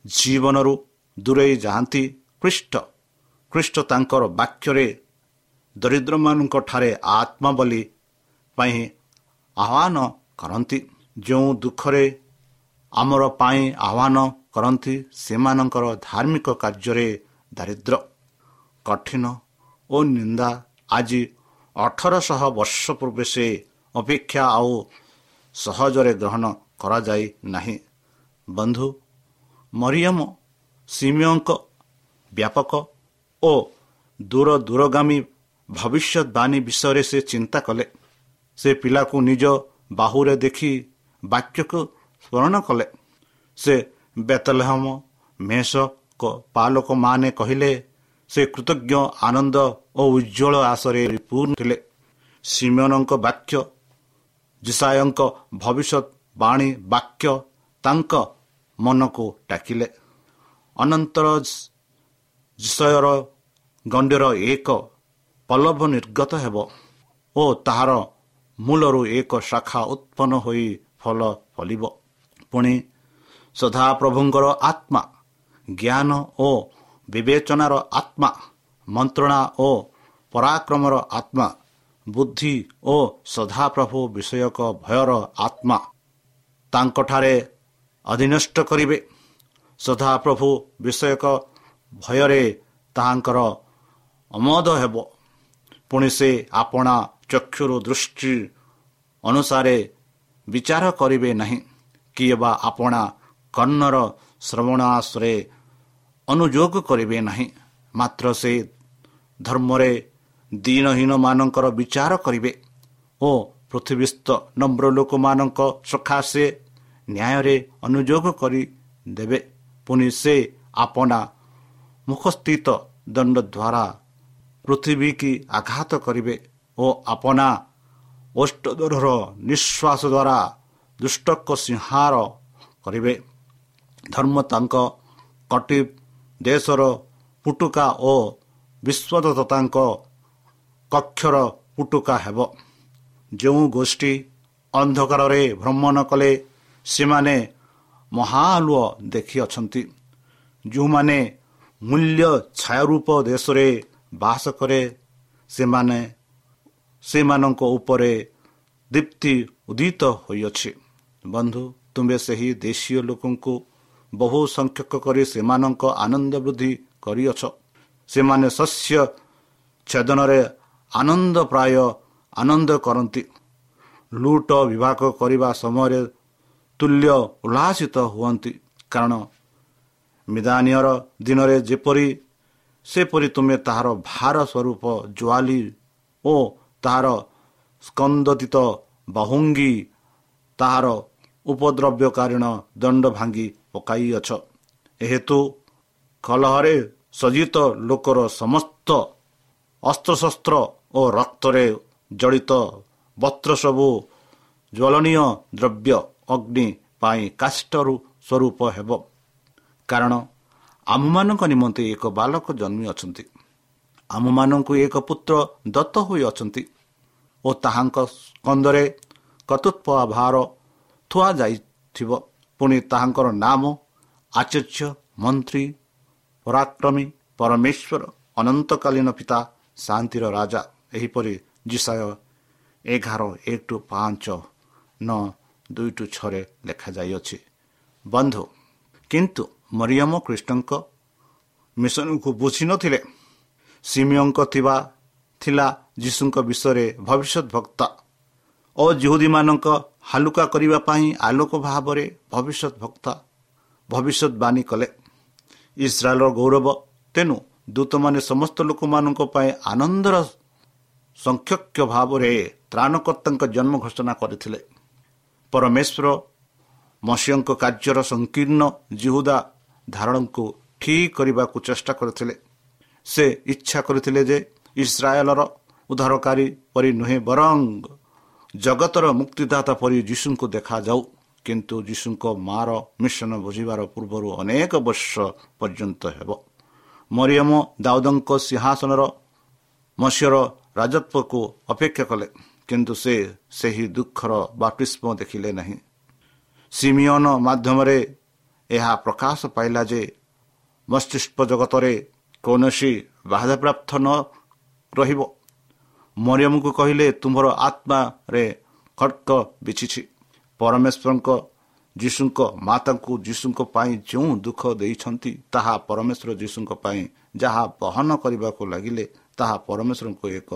ଜୀବନରୁ ଦୂରେଇ ଯାଆନ୍ତି, ଖ୍ରୀଷ୍ଟ ତାଙ୍କର ବାକ୍ୟରେ ଦରିଦ୍ରମାନଙ୍କ ଠାରେ ଆତ୍ମା ବଳି ପାଇଁ ଆହ୍ୱାନ କରନ୍ତି। ଯେଉଁ ଦୁଃଖରେ ଆମର ପାଇଁ ଆହ୍ୱାନ କରନ୍ତି, ସେମାନଙ୍କର ଧାର୍ମିକ କାର୍ଯ୍ୟରେ ଦାରିଦ୍ର୍ୟ, କଠିନ ଓ ନିନ୍ଦା ଆଜି 1800 ବର୍ଷ ପୂର୍ବେ ସେ ଅପେକ୍ଷା ଆଉ ସହଜରେ ଗ୍ରହଣ କରାଯାଇ ନାହିଁ। ବନ୍ଧୁ, ମରିୟମ ସିମିୟଙ୍କ ବ୍ୟାପକ ଓ ଦୂର ଦୂରଗାମୀ ଭବିଷ୍ୟତବାଣୀ ବିଷୟରେ ସେ ଚିନ୍ତା କଲେ। ସେ ପିଲାକୁ ନିଜ ବାହୁରେ ଦେଖି ବାକ୍ୟକୁ ସ୍ମରଣ କଲେ। ସେ ବେତଲହମ ମେଷ ପାଲକମାନେ କହିଲେ, ସେ କୃତଜ୍ଞ ଆନନ୍ଦ ଓ ଉଜ୍ଜ୍ୱଳ ଆଶରେ ପୂର୍ଣ୍ଣ ଥିଲେ। ସିମିୟନଙ୍କ ବାକ୍ୟ, ଯିଶାଇୟଙ୍କ ଭବିଷ୍ୟତବାଣୀ ବାକ୍ୟ ତାଙ୍କ ମନକୁ ଡାକିଲେ। ଅନନ୍ତର ଯିଶାଇୟର ଗଣ୍ଡିର ଏକ ପଲ୍ଲବ ନିର୍ଗତ ହେବ ଓ ତାହାର ମୂଳରୁ ଏକ ଶାଖା ଉତ୍ପନ୍ନ ହୋଇ ଫଳ ଫଳିବ। ପୁଣି ସଦାପ୍ରଭୁଙ୍କର ଆତ୍ମା, ଜ୍ଞାନ ଓ ବିବେଚନାର ଆତ୍ମା, ମନ୍ତ୍ରଣା ଓ ପରାକ୍ରମର ଆତ୍ମା, ବୁଦ୍ଧି ଓ ସଦାପ୍ରଭୁ ବିଷୟକ ଭୟର ଆତ୍ମା ତାଙ୍କଠାରେ ଅଧୀନସ୍ଥ କରିବେ। ସଦାପ୍ରଭୁ ବିଷୟକ ଭୟରେ ତାହାଙ୍କର ଅମୋଦ ହେବ। ପୁଣି ସେ ଆପଣା ଚକ୍ଷୁରୁ ଦୃଷ୍ଟି ଅନୁସାରେ ବିଚାର କରିବେ ନାହିଁ, କିମ୍ବା ଆପଣା କର୍ଣ୍ଣର ଶ୍ରବଣାଶ୍ରେ ଅନୁଯୋଗ କରିବେ ନାହିଁ। ମାତ୍ର ସେ ଧର୍ମରେ ଦୀନହୀନମାନଙ୍କର ବିଚାର କରିବେ ଓ ପୃଥିବୀସ୍ଥ ନମ୍ର ଲୋକମାନଙ୍କ ସକାଶେ ନ୍ୟାୟରେ ଅନୁଯୋଗ କରିଦେବେ। ପୁଣି ସେ ଆପଣା ମୁଖସ୍ଥିତ ଦଣ୍ଡ ଦ୍ୱାରା ପୃଥିବୀକି ଆଘାତ କରିବେ ଓ ଆପଣା ଓଷ୍ଠଦର ନିଶ୍ୱାସ ଦ୍ୱାରା ଦୁଷ୍ଟକ ସଂହାର କରିବେ। ଧର୍ମ ତାଙ୍କ କଟି ଦେଶର ପୁଟୁକା ଓ ବିଶ୍ୱଦତ୍ତ ତାଙ୍କ କକ୍ଷର ପୁଟୁକା ହେବ। ଯେଉଁ ଗୋଷ୍ଠୀ ଅନ୍ଧକାରରେ ଭ୍ରମଣ କଲେ, ସେମାନେ ମହାଆଲୁଅ ଦେଖିଅଛନ୍ତି। ଯେଉଁମାନେ ମୂଲ୍ୟ ଛାୟାରୂପ ଦେଶରେ ବାସ କରେ, ସେମାନେ ସେମାନଙ୍କ ଉପରେ ଦୀପ୍ତି ଉଦିତ ହୋଇଅଛି। ବନ୍ଧୁ, ତୁମେ ସେହି ଦେଶୀୟ ଲୋକଙ୍କୁ ବହୁ ସଂଖ୍ୟକ କରି ସେମାନଙ୍କ ଆନନ୍ଦ ବୃଦ୍ଧି କରିଅଛ। ସେମାନେ ଶସ୍ୟ ଛେଦନରେ ଆନନ୍ଦ ପ୍ରାୟ ଆନନ୍ଦ କରନ୍ତି। ଲୁଟ ବିଭାଗ କରିବା ସମୟରେ ତୁଲ୍ୟ ଉଲ୍ଲାସିତ ହୁଅନ୍ତି। କାରଣ ମିଦାନୀୟର ଦିନରେ ଯେପରି, ସେପରି ତୁମେ ତାହାର ଭାର ସ୍ୱରୂପ ଜୁଆଲି ଓ ତାହାର ସ୍କନ୍ଦତିତ ବାହୁଙ୍ଗି ତାହାର ଉପଦ୍ରବ୍ୟକାରୀଣ ଦଣ୍ଡ ଭାଙ୍ଗି ପକାଇଅଛ। ଏହେତୁ କଲହରେ ସଜ୍ଜିତ ଲୋକର ସମସ୍ତ ଅସ୍ତ୍ରଶସ୍ତ୍ର ଓ ରକ୍ତରେ ଜଡ଼ିତ ବସ୍ତ୍ର ସବୁ ଜ୍ୱଳନୀୟ ଦ୍ରବ୍ୟ ଅଗ୍ନି ପାଇଁ କାଷ୍ଠରୁ ସ୍ୱରୂପ ହେବ। କାରଣ ଆମ୍ଭମାନଙ୍କ ନିମନ୍ତେ ଏକ ବାଲକ ଜନ୍ମି ଅଛନ୍ତି, ଆମ୍ଭମାନଙ୍କୁ ଏକ ପୁତ୍ର ଦତ୍ତ ହୋଇଅଛନ୍ତି ଓ ତାହାଙ୍କ ସ୍କନ୍ଧରେ କର୍ତ୍ତୃତ୍ୱ ଭାର ଥୁଆଯାଇଥିବ। ପୁଣି ତାହାଙ୍କର ନାମ ଆଶ୍ଚର୍ଯ୍ୟ, ମନ୍ତ୍ରୀ, ପରାକ୍ରମୀ, ପରମେଶ୍ୱର, ଅନନ୍ତକାଳୀନ ପିତା, ଶାନ୍ତିର ରାଜା। ଏହିପରି ଯିଶାଇୟ 11:1-5, 9:2-6 ଲେଖାଯାଇଅଛି। ବନ୍ଧୁ, କିନ୍ତୁ ମରିୟମ ଖ୍ରୀଷ୍ଟଙ୍କ ମିଶନକୁ ବୁଝିନଥିଲେ। ସିମିୟଙ୍କ ଥିଲା ଯୀଶୁଙ୍କ ବିଷୟରେ ଭବିଷ୍ୟତ ବକ୍ତା ଓ ଯିହୁଦୀମାନଙ୍କ ହାଲୁକା କରିବା ପାଇଁ ଆଲୋକ ଭାବରେ ଭବିଷ୍ୟତ ବକ୍ତା ଭବିଷ୍ୟତବାଣୀ କଲେ। ଇସ୍ରାଏଲର ଗୌରବ। ତେଣୁ ଦୂତମାନେ ସମସ୍ତ ଲୋକମାନଙ୍କ ପାଇଁ ଆନନ୍ଦର ସଂଖ୍ୟକ ଭାବରେ ତ୍ରାଣକର୍ତ୍ତାଙ୍କ ଜନ୍ମ ଘୋଷଣା କରିଥିଲେ। ପରମେଶ୍ୱର ମସିହଙ୍କ କାର୍ଯ୍ୟର ସଂକୀର୍ଣ୍ଣ ଯିହୁଦା ଧାରଣକୁ ଠିକ୍ କରିବାକୁ ଚେଷ୍ଟା କରିଥିଲେ। ସେ ଇଚ୍ଛା କରିଥିଲେ ଯେ ଇସ୍ରାଏଲର ଉଦ୍ଧାରକାରୀ ପରି ନୁହେଁ, ବରଂ ଜଗତର ମୁକ୍ତିଦାତା ପରି ଯୀଶୁଙ୍କୁ ଦେଖାଯାଉ। କିନ୍ତୁ ଯୀଶୁଙ୍କ ମାର ମିଶନ ବୁଝିବାର ପୂର୍ବରୁ ଅନେକ ବର୍ଷ ପର୍ଯ୍ୟନ୍ତ ହେବ। ମରିୟମ ଦାଉଦଙ୍କ ସିଂହାସନର ମସିହର ରାଜତ୍ୱକୁ ଅପେକ୍ଷା କଲେ, କିନ୍ତୁ ସେ ସେହି ଦୁଃଖର ବାପ୍ତିସ୍ମ ଦେଖିଲେ ନାହିଁ। ସିମିୟନ ମାଧ୍ୟମରେ ଏହା ପ୍ରକାଶ ପାଇଲା ଯେ ମସ୍ତିଷ୍କ ଜଗତରେ କୌଣସି ବାଧାପ୍ରାପ୍ତ ନ ରହିବ। ମରିୟମକୁ କହିଲେ, ତୁମ୍ଭର ଆତ୍ମାରେ ଖଡ଼୍ଗ ବିଛିଛି। ପରମେଶ୍ୱରଙ୍କ ଯୀଶୁଙ୍କ ମାତାଙ୍କୁ ଯୀଶୁଙ୍କ ପାଇଁ ଯେଉଁ ଦୁଃଖ ଦେଇଛନ୍ତି, ତାହା ପରମେଶ୍ୱର ଯୀଶୁଙ୍କ ପାଇଁ ଯାହା ବହନ କରିବାକୁ ଲାଗିଲେ, ତାହା ପରମେଶ୍ୱରଙ୍କୁ ଏକ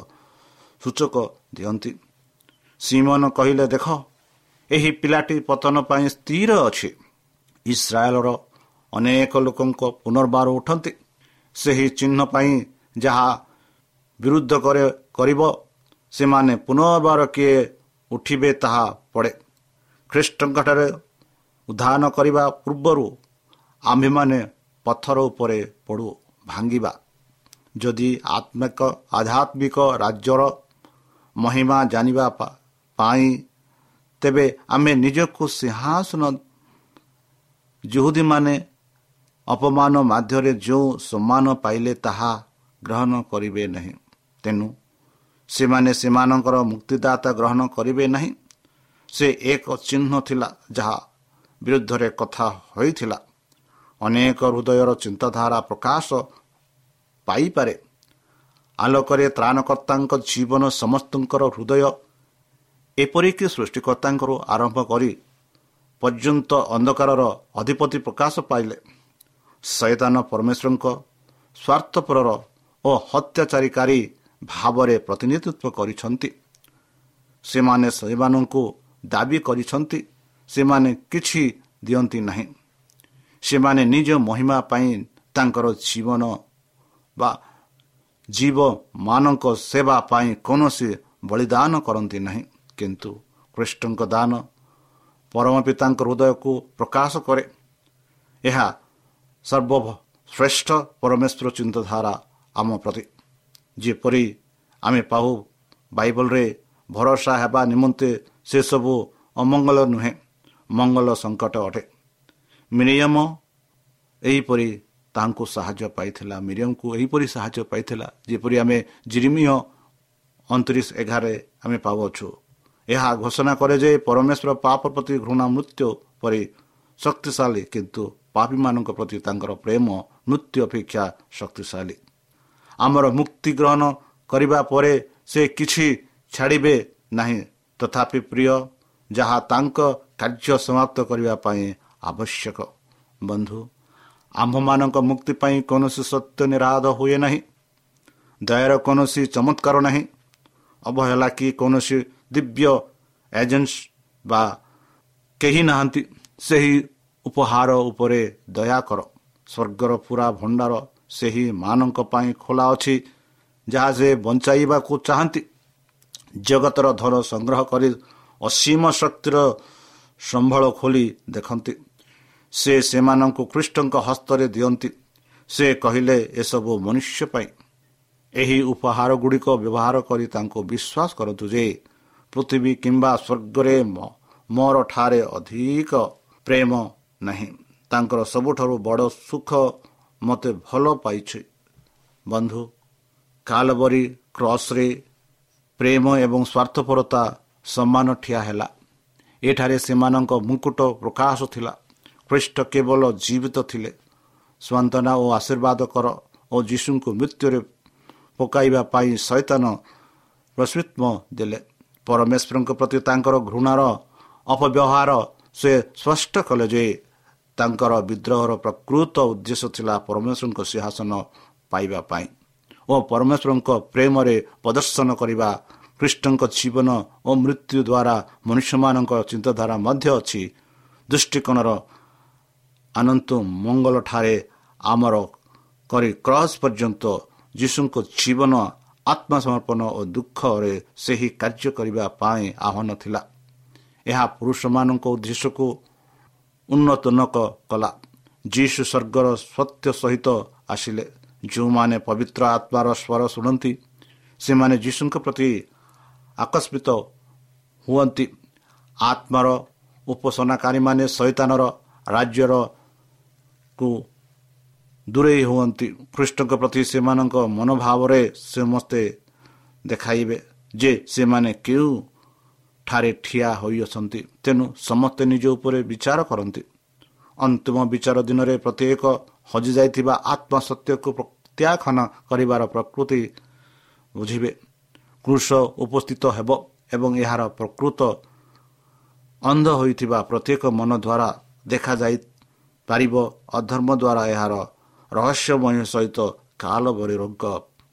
ସୂଚକ ଦିଅନ୍ତି। ସିମନ କହିଲେ, ଦେଖ, ଏହି ପିଲାଟି ପତନ ପାଇଁ ସ୍ଥିର ଅଛି। ଇସ୍ରାଏଲର ଅନେକ ଲୋକଙ୍କ ପୁନର୍ବାର ଉଠନ୍ତି। ସେହି ଚିହ୍ନ ପାଇଁ ଯାହା ବିରୁଦ୍ଧ କରିବ, ସେମାନେ ପୁନର୍ବାର କିଏ ଉଠିବେ ତାହା ପଡ଼େ। ଖ୍ରୀଷ୍ଟଙ୍କଠାରେ ଉଦ୍ଧାନ କରିବା ପୂର୍ବରୁ ଆମ୍ଭେମାନେ ପଥର ଉପରେ ପଡ଼ୁ ଭାଙ୍ଗିବା। ଯଦି ଆତ୍ମିକ ଆଧ୍ୟାତ୍ମିକ ରାଜ୍ୟର ମହିମା ଜାଣିବା ପାଇଁ, ତେବେ ଆମେ ନିଜକୁ ସିଂହାସନ ଜୁହୁଦୀମାନେ ଅପମାନ ମାଧ୍ୟମରେ ଯେଉଁ ସମ୍ମାନ ପାଇଲେ ତାହା ଗ୍ରହଣ କରିବେ ନାହିଁ। ତେଣୁ ସେମାନେ ସେମାନଙ୍କର ମୁକ୍ତିଦାତା ଗ୍ରହଣ କରିବେ ନାହିଁ। ସେ ଏକ ଚିହ୍ନ ଥିଲା ଯାହା ବିରୁଦ୍ଧରେ କଥା ହୋଇଥିଲା। ଅନେକ ହୃଦୟର ଚିନ୍ତାଧାରା ପ୍ରକାଶ ପାଇପାରେ। ଆଲୋକରେ ତ୍ରାଣକର୍ତ୍ତାଙ୍କ ଜୀବନ ସମସ୍ତଙ୍କର ହୃଦୟ, ଏପରିକି ସୃଷ୍ଟିକର୍ତ୍ତାଙ୍କରୁ ଆରମ୍ଭ କରି ପର୍ଯ୍ୟନ୍ତ ଅନ୍ଧକାରର ଅଧିପତି ପ୍ରକାଶ ପାଇଲେ। ଶୟତାନ ପରମେଶ୍ୱରଙ୍କ ସ୍ୱାର୍ଥପରର ଓ ହତ୍ୟାଚାରୀକାରୀ ଭାବରେ ପ୍ରତିନିଧିତ୍ୱ କରିଛନ୍ତି। ସେମାନେ ସେମାନଙ୍କୁ ଦାବି କରିଛନ୍ତି। ସେମାନେ କିଛି ଦିଅନ୍ତି ନାହିଁ। ସେମାନେ ନିଜ ମହିମା ପାଇଁ ତାଙ୍କର ଜୀବନ ବା ଜୀବମାନଙ୍କ ସେବା ପାଇଁ କୌଣସି ବଳିଦାନ କରନ୍ତି ନାହିଁ। କିନ୍ତୁ ଖ୍ରୀଷ୍ଟଙ୍କ ଦାନ ପରମ ପିତାଙ୍କ ହୃଦୟକୁ ପ୍ରକାଶ କରେ। ଏହା ସର୍ବଶ୍ରେଷ୍ଠ ପରମେଶ୍ୱର ଚିନ୍ତାଧାରା ଆମ ପ୍ରତି। ଯେପରି ଆମେ ପାଉ ବାଇବଲରେ ଭରସା ହେବା ନିମନ୍ତେ ସେସବୁ ଅମଙ୍ଗଳ ନୁହେଁ, ମଙ୍ଗଳ ସଙ୍କଟ ଅଟେ। ମିରିୟମ ଏହିପରି ତାହାଙ୍କୁ ସାହାଯ୍ୟ ପାଇଥିଲା। ମିରିୟମକୁ ଏହିପରି ସାହାଯ୍ୟ ପାଇଥିଲା, ଯେପରି ଆମେ ଜିରିମିୟ 29:11 ଆମେ ପାଉଅଛୁ। ଏହା ଘୋଷଣା କରେ ଯେ ପରମେଶ୍ୱର ପାପ ପ୍ରତି ଘୃଣା ମୃତ୍ୟୁ ପରି ଶକ୍ତିଶାଳୀ, କିନ୍ତୁ ପାପୀମାନଙ୍କ ପ୍ରତି ତାଙ୍କର ପ୍ରେମ ମୃତ୍ୟୁ ଅପେକ୍ଷା ଶକ୍ତିଶାଳୀ। ଆମର ମୁକ୍ତି ଗ୍ରହଣ କରିବା ପରେ ସେ କିଛି ଛାଡ଼ିବେ ନାହିଁ, ତଥାପି ପ୍ରିୟ ଯାହା ତାଙ୍କ କାର୍ଯ୍ୟ ସମାପ୍ତ କରିବା ପାଇଁ ଆବଶ୍ୟକ। ବନ୍ଧୁ, ଆମ୍ଭମାନଙ୍କ ମୁକ୍ତି ପାଇଁ କୌଣସି ସତ୍ୟ ନିରାଧ ହୁଏ ନାହିଁ, ଦୟାର କୌଣସି ଚମତ୍କାର ନାହିଁ, ଅବହେଳା କି କୌଣସି ଦିବ୍ୟ ଏଜେନ୍ସ ବା କେହି ନାହାନ୍ତି। ସେହି ଉପହାର ଉପରେ ଦୟା କର। ସ୍ୱର୍ଗର ପୁରା ଭଣ୍ଡାର ସେହି ମାନଙ୍କ ପାଇଁ ଖୋଲା ଅଛି ଯାହା ସେ ବଞ୍ଚାଇବାକୁ ଚାହାନ୍ତି। ଜଗତର ଧନ ସଂଗ୍ରହ କରି ଅସୀମ ଶକ୍ତିର ସମ୍ବଳ ଖୋଲି ଦେଖନ୍ତି। ସେ ସେମାନଙ୍କୁ ଖ୍ରୀଷ୍ଟଙ୍କ ହସ୍ତରେ ଦିଅନ୍ତି। ସେ କହିଲେ, ଏସବୁ ମନୁଷ୍ୟ ପାଇଁ। ଏହି ଉପହାର ଗୁଡ଼ିକ ବ୍ୟବହାର କରି ତାଙ୍କୁ ବିଶ୍ୱାସ କରନ୍ତୁ ଯେ ପୃଥିବୀ କିମ୍ବା ସ୍ୱର୍ଗରେ ମୋର ଠାରେ ଅଧିକ ପ୍ରେମ ନାହିଁ। ତାଙ୍କର ସବୁଠାରୁ ବଡ଼ ସୁଖ ମୋତେ ଭଲ ପାଇଛି। ବନ୍ଧୁ, କାଲବରୀ କ୍ରସରେ ପ୍ରେମ ଏବଂ ସ୍ୱାର୍ଥପରତା ସମାନ ଠିଆ ହେଲା। ଏଠାରେ ସେମାନଙ୍କ ମୁକୁଟ ପ୍ରକାଶ ଥିଲା। ଖ୍ରୀଷ୍ଟ କେବଳ ଜୀବିତ ଥିଲେ। ସାନ୍ତ୍ୱନା ଓ ଆଶୀର୍ବାଦ କର ଓ ଯୀଶୁଙ୍କୁ ମୃତ୍ୟୁରେ ପକାଇବା ପାଇଁ ଶୈତାନ ପ୍ରଶ୍ରିତ୍ମ ଦେଲେ। ପରମେଶ୍ୱରଙ୍କ ପ୍ରତି ତାଙ୍କର ଘୃଣାର ଅପବ୍ୟବହାର ସେ ସ୍ପଷ୍ଟ କଲେ ଯେ ତାଙ୍କର ବିଦ୍ରୋହର ପ୍ରକୃତ ଉଦ୍ଦେଶ୍ୟ ଥିଲା ପରମେଶ୍ୱରଙ୍କ ସିଂହାସନ ପାଇବା ପାଇଁ ଓ ପରମେଶ୍ୱରଙ୍କ ପ୍ରେମରେ ପ୍ରଦର୍ଶନ କରିବା। ଖ୍ରୀଷ୍ଟଙ୍କ ଜୀବନ ଓ ମୃତ୍ୟୁ ଦ୍ୱାରା ମନୁଷ୍ୟମାନଙ୍କ ଚିନ୍ତାଧାରା ମଧ୍ୟ ଅଛି। ଦୃଷ୍ଟିକୋଣର ଆନନ୍ତୁ ମଙ୍ଗଳଠାରେ ଆମର କରି କ୍ରସ୍ ପର୍ଯ୍ୟନ୍ତ ଯୀଶୁଙ୍କ ଜୀବନ ଆତ୍ମସମର୍ପଣ ଓ ଦୁଃଖରେ ସେହି କାର୍ଯ୍ୟ କରିବା ପାଇଁ ଆହ୍ୱାନ ଥିଲା। ଏହା ପୁରୁଷମାନଙ୍କ ଉଦ୍ଦେଶ୍ୟକୁ ଉନ୍ନତ କଲା। ଯୀଶୁ ସ୍ୱର୍ଗର ସତ୍ୟ ସହିତ ଆସିଲେ। ଯେଉଁମାନେ ପବିତ୍ର ଆତ୍ମାର ସ୍ୱର ଶୁଣନ୍ତି ସେମାନେ ଯୀଶୁଙ୍କ ପ୍ରତି ଆକସ୍ମିତ ହୁଅନ୍ତି। ଆତ୍ମାର ଉପାସନାକାରୀମାନେ ଶୈତାନର ରାଜ୍ୟର କୁ ଦୂରେଇ ହୁଅନ୍ତି। ଖ୍ରୀଷ୍ଟଙ୍କ ପ୍ରତି ସେମାନଙ୍କ ମନୋଭାବରେ ସମସ୍ତେ ଦେଖାଇବେ ଯେ ସେମାନେ କେଉଁ ଠାରେ ଠିଆ ହୋଇଅଛନ୍ତି। ତେଣୁ ସମସ୍ତେ ନିଜ ଉପରେ ବିଚାର କରନ୍ତି। ଅନ୍ତିମ ବିଚାର ଦିନରେ ପ୍ରତ୍ୟେକ ହଜିଯାଇଥିବା ଆତ୍ମସତ୍ୟକୁ ପ୍ରତ୍ୟାଖ୍ୟାନ କରିବାର ପ୍ରକୃତି ବୁଝିବେ। କ୍ରୁଶ ଉପସ୍ଥିତ ହେବ ଏବଂ ଏହାର ପ୍ରକୃତ ଅନ୍ଧ ହୋଇଥିବା ପ୍ରତ୍ୟେକ ମନ ଦ୍ୱାରା ଦେଖାଯାଇପାରିବ। ଅଧର୍ମ ଦ୍ୱାରା ଏହାର ରହସ୍ୟମୟ ସହିତ କାଲବରୀ ରୋଗ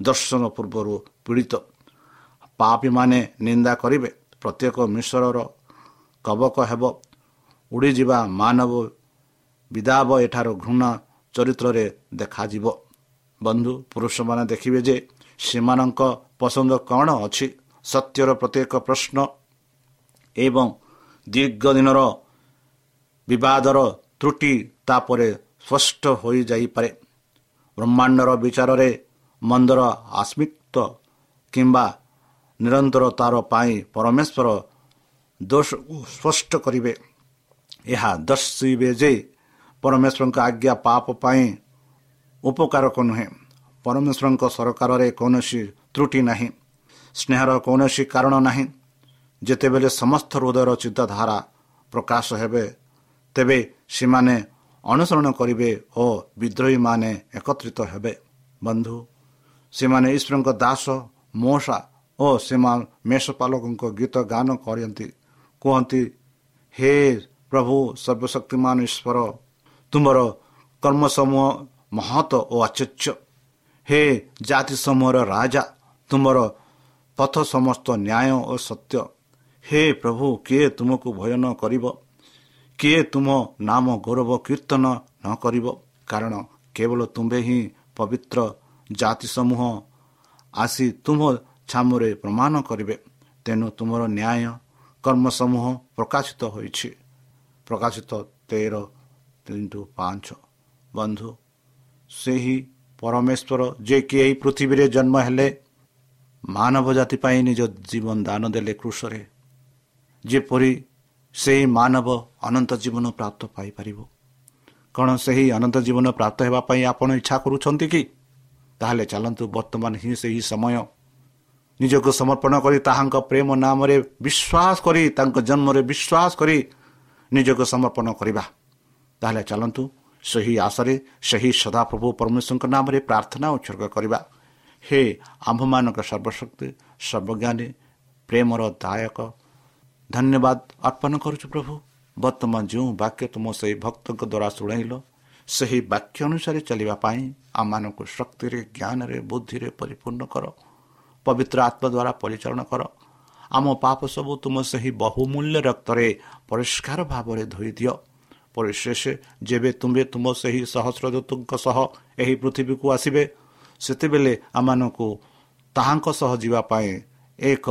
ଦର୍ଶନ ପୂର୍ବରୁ ପୀଡ଼ିତ ପାପୀମାନେ ନିନ୍ଦା କରିବେ। ପ୍ରତ୍ୟେକ ମିଶ୍ରର କବକ ହେବ ଉଡ଼ିଯିବା, ମାନବ ବିଦାବ ଏଠାରୁ ଘୃଣା ଚରିତ୍ରରେ ଦେଖାଯିବ। ବନ୍ଧୁ, ପୁରୁଷମାନେ ଦେଖିବେ ଯେ ସେମାନଙ୍କ ପସନ୍ଦ କ'ଣ ଅଛି। ସତ୍ୟର ପ୍ରତ୍ୟେକ ପ୍ରଶ୍ନ ଏବଂ ଦୀର୍ଘ ଦିନର ବିବାଦର ତ୍ରୁଟି ତାପରେ ସ୍ପଷ୍ଟ ହୋଇଯାଇପାରେ। ବ୍ରହ୍ମାଣ୍ଡର ବିଚାରରେ ମନ୍ଦର ଆସ୍ମିତ କିମ୍ବା ନିରନ୍ତରତାର ପାଇଁ ପରମେଶ୍ୱର ଦୋଷକୁ ସ୍ପଷ୍ଟ କରିବେ। ଏହା ଦର୍ଶିବେ ଯେ ପରମେଶ୍ୱରଙ୍କ ଆଜ୍ଞା ପାପ ପାଇଁ ଉପକାରକ ନୁହେଁ। ପରମେଶ୍ୱରଙ୍କ ସରକାରରେ କୌଣସି ତ୍ରୁଟି ନାହିଁ, ସ୍ନେହର କୌଣସି କାରଣ ନାହିଁ। ଯେତେବେଳେ ସମସ୍ତ ହୃଦୟର ଚିନ୍ତାଧାରା ପ୍ରକାଶ ହେବେ, ତେବେ ସେମାନେ ଅନୁସରଣ କରିବେ ଓ ବିଦ୍ରୋହୀମାନେ ଏକତ୍ରିତ ହେବେ। ବନ୍ଧୁ, ସେମାନେ ଈଶ୍ୱରଙ୍କ ଦାସ ମୋଷା ଓ ସେମାନେ ମେଷପାଲକଙ୍କ ଗୀତ ଗାନ କରନ୍ତି, କୁହନ୍ତି, ହେ ପ୍ରଭୁ ସର୍ବଶକ୍ତିମାନ ଈଶ୍ୱର, ତୁମର କର୍ମସମୂହ ମହତ ଓ ଆଶ୍ଚର୍ଯ୍ୟ। ହେ ଜାତି ସମୂହର ରାଜା, ତୁମର ପଥ ସମସ୍ତ ନ୍ୟାୟ ଓ ସତ୍ୟ। ହେ ପ୍ରଭୁ, କିଏ ତୁମକୁ ଭୟ ନ କରିବ? କିଏ ତୁମ ନାମ ଗୌରବ କୀର୍ତ୍ତନ ନ କରିବ? କାରଣ କେବଳ ତୁମ୍ଭେ ହିଁ ପବିତ୍ର। ଜାତି ସମୂହ ଆସି ତୁମ ଛାମୁରେ ପ୍ରମାଣ କରିବେ, ତେଣୁ ତୁମର ନ୍ୟାୟ କର୍ମ ସମୂହ ପ୍ରକାଶିତ ହୋଇଛି। ପ୍ରକାଶିତ 13:3-5। ବନ୍ଧୁ, ସେହି ପରମେଶ୍ୱର ଯିଏକି ଏହି ପୃଥିବୀରେ ଜନ୍ମ ହେଲେ, ମାନବ ଜାତି ପାଇଁ ନିଜ ଜୀବନ ଦାନ ଦେଲେ କୃଷରେ, ଯେପରି ସେହି ମାନବ ଅନନ୍ତ ଜୀବନ ପ୍ରାପ୍ତ ପାଇପାରିବ। କ'ଣ ସେହି ଅନନ୍ତ ଜୀବନ ପ୍ରାପ୍ତ ହେବା ପାଇଁ ଆପଣ ଇଚ୍ଛା କରୁଛନ୍ତି କି? ତାହେଲେ ଚାଲନ୍ତୁ ବର୍ତ୍ତମାନ ହିଁ ସେହି ସମୟ ନିଜକୁ ସମର୍ପଣ କରି, ତାହାଙ୍କ ପ୍ରେମ ନାମରେ ବିଶ୍ୱାସ କରି, ତାଙ୍କ ଜନ୍ମରେ ବିଶ୍ୱାସ କରି ନିଜକୁ ସମର୍ପଣ କରିବା। ତାହେଲେ ଚାଲନ୍ତୁ ସେହି ଆଶାରେ ସେହି ସଦାପ୍ରଭୁ ପରମେଶ୍ୱରଙ୍କ ନାମରେ ପ୍ରାର୍ଥନା ଉତ୍ସର୍ଗ କରିବା। ହେ ଆମ୍ଭମାନଙ୍କ ସର୍ବଶକ୍ତି ସର୍ବଜ୍ଞାନୀ ପ୍ରେମର ଦାୟକ, ଧନ୍ୟବାଦ ଅର୍ପଣ କରୁଛୁ ପ୍ରଭୁ। ବର୍ତ୍ତମାନ ଯେଉଁ ବାକ୍ୟ ତୁମ ସେହି ଭକ୍ତଙ୍କ ଦ୍ୱାରା ଶୁଣାଇଲ, ସେହି ବାକ୍ୟ ଅନୁସାରେ ଚାଲିବା ପାଇଁ ଆମମାନଙ୍କୁ ଶକ୍ତିରେ, ଜ୍ଞାନରେ, ବୁଦ୍ଧିରେ ପରିପୂର୍ଣ୍ଣ କର। ପବିତ୍ର ଆତ୍ମା ଦ୍ୱାରା ପରିଚାଳନା କର। ଆମ ପାପ ସବୁ ତୁମ ସେହି ବହୁମୂଲ୍ୟ ରକ୍ତରେ ପରିଷ୍କାର ଭାବରେ ଧୋଇଦିଅ। ପରିଶେଷ ଯେବେ ତୁମ୍ଭେ ତୁମ ସେହି ସହସ୍ରଦୂତଙ୍କ ସହ ଏହି ପୃଥିବୀକୁ ଆସିବେ, ସେତେବେଳେ ଆମମାନଙ୍କୁ ତାହାଙ୍କ ସହ ଯିବା ପାଇଁ ଏକ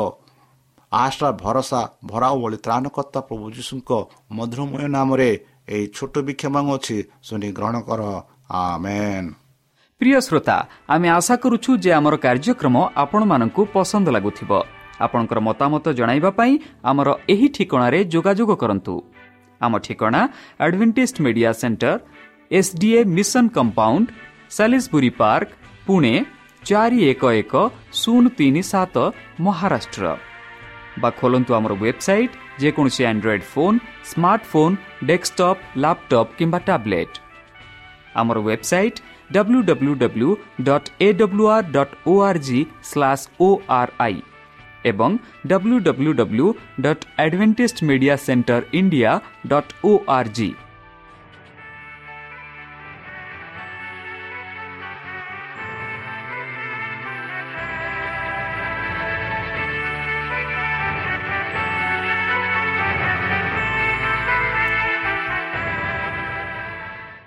ଆଶା ଭରସା ଭରାଉ ଭଳି ତ୍ରାଣକର୍ତ୍ତା ପ୍ରଭୁ ଯୀଶୁଙ୍କ ମଧୁରମୟ ନାମରେ ଏହି ଛୋଟ ଭିକ୍ଷା ମାଗୁଅଛି, ଶୁଣି ଗ୍ରହଣ କର, ଆମେନ୍। ପ୍ରିୟ ଶ୍ରୋତା, ଆମେ ଆଶା କରୁଛୁ ଯେ ଆମର କାର୍ଯ୍ୟକ୍ରମ ଆପଣମାନଙ୍କୁ ପସନ୍ଦ ଲାଗୁଥିବ। ଆପଣଙ୍କର ମତାମତ ଜଣାଇବା ପାଇଁ ଆମର ଏହି ଠିକଣାରେ ଯୋଗାଯୋଗ କରନ୍ତୁ। ଆମ ଠିକଣା Adventist Media Centre, SDA Mission Compound, Salisbury Park, Pune 411037, Maharashtra. ବା ଖୋଲନ୍ତୁ ଆମର ୱେବସାଇଟ୍ ଯେକୌଣସି Android phone, smartphone, desktop, laptop କିମ୍ବା ଟ୍ୟାବ୍ଲେଟ୍। ଆମର website www.awr.org/ori ଏବଂ www.adventistmediacentereindia.org।